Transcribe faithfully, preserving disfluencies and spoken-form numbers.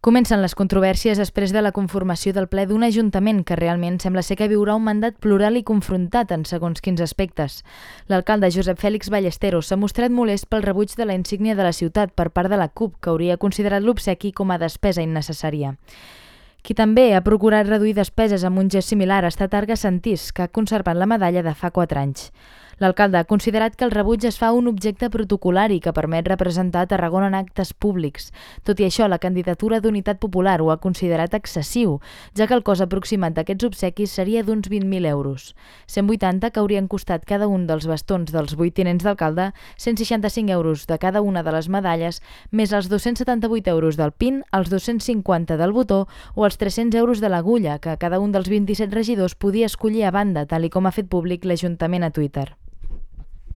Comencen les controvèrsies després de la conformació del ple d'un ajuntament que realment sembla ser que viurà un mandat plural i confrontat en segons quins aspectes. L'alcalde Josep Fèlix Ballesteros s'ha mostrat molest pel rebuig de la insígnia de la ciutat per part de la C U P, que hauria considerat l'obsequi com a despesa innecessària. Qui també ha procurat reduir despeses amb un gest similar ha estat Arga Santís, que ha conservat la medalla de fa quatre anys. L'alcalde ha considerat que el rebuig es fa un objecte protocolari que permet representar Tarragona en actes públics. Tot i això, la candidatura d'Unitat Popular ho ha considerat excessiu, ja que el cost aproximat d'aquests obsequis seria d'uns vint mil euros. cent vuitanta que haurien costat cada un dels bastons dels vuit tinents d'alcalde, cent seixanta-cinc euros de cada una de les medalles, més els dos-cents setanta-vuit euros del pin, els dos-cents cinquanta del botó o els tres-cents euros de l'agulla, que cada un dels vint-i-set regidors podia escollir a banda, tal i com ha fet públic l'Ajuntament a Twitter.